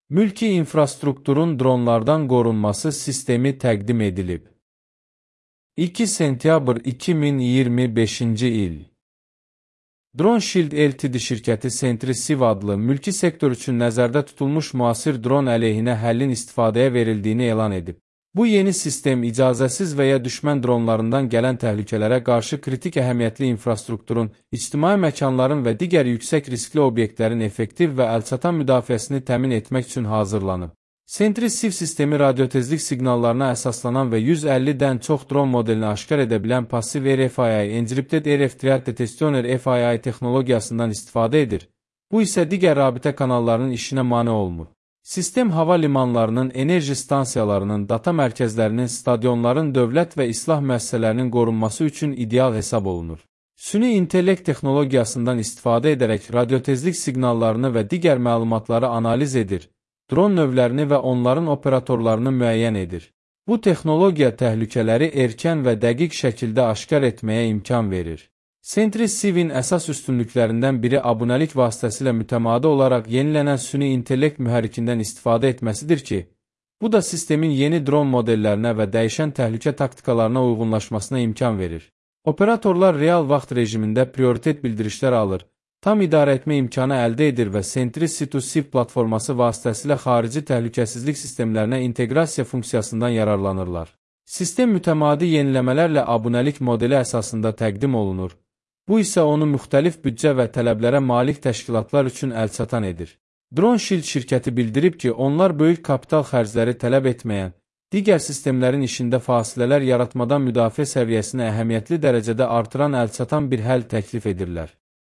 Mülki infrastrukturun dronlardan qorunması sistemi təqdim edilib. 2 sentyabr 2025-ci il. DroneShield Ltd şirkəti Sentry-Civ adlı mülki sektor üçün nəzərdə tutulmuş müasir dron əleyhinə həllin istifadəyə verildiyini elan edib. Bu yeni sistem icazəsiz və ya düşmən dronlarından gələn təhlükələrə qarşı kritik əhəmiyyətli infrastrukturun, ictimai məkanların və digər yüksək riskli obyektlərin effektiv və əlçatan müdafiəsini təmin etmək üçün hazırlanıb. Sentry-Civ sistemi radiotezlik siqnallarına əsaslanan və 150-dən çox dron modelini aşkar edə bilən passiv RFII, Encrypted RF Triad Detection RFII texnologiyasından istifadə edir. Bu isə digər rabitə kanallarının işinə mane olmur. Sistem hava limanlarının, enerji stansiyalarının, data mərkəzlərinin, stadionların, dövlət və islah müəssisələrinin qorunması üçün ideal hesab olunur. Süni intellekt texnologiyasından istifadə edərək radiotezlik siqnallarını və digər məlumatları analiz edir, dron növlərini və onların operatorlarını müəyyən edir. Bu texnologiya təhlükələri erkən və dəqiq şəkildə aşkar etməyə imkan verir. Sentry-Civ'in əsas üstünlüklərindən biri abunəlik vasitəsilə mütəmadi olaraq yenilənən süni intellekt mühərrikindən istifadə etməsidir ki, bu da sistemin yeni dron modellərinə və dəyişən təhlükə taktikalarına uyğunlaşmasına imkan verir. Operatorlar real vaxt rejimində prioritet bildirişlər alır, tam idarə etmə imkanı əldə edir və Sentry-C2Civ platforması vasitəsilə xarici təhlükəsizlik sistemlərinə inteqrasiya funksiyasından yararlanırlar. Sistem mütəmadi yeniləmələrlə abunəlik modeli əsasında təqdim olunur. Bu isə onu müxtəlif büdcə və tələblərə malik təşkilatlar üçün əlçatan edir. DroneShield şirkəti bildirib ki, onlar böyük kapital xərcləri tələb etməyən, digər sistemlərin işində fasilələr yaratmadan müdafiə səviyyəsini əhəmiyyətli dərəcədə artıran əlçatan bir həll təklif edirlər.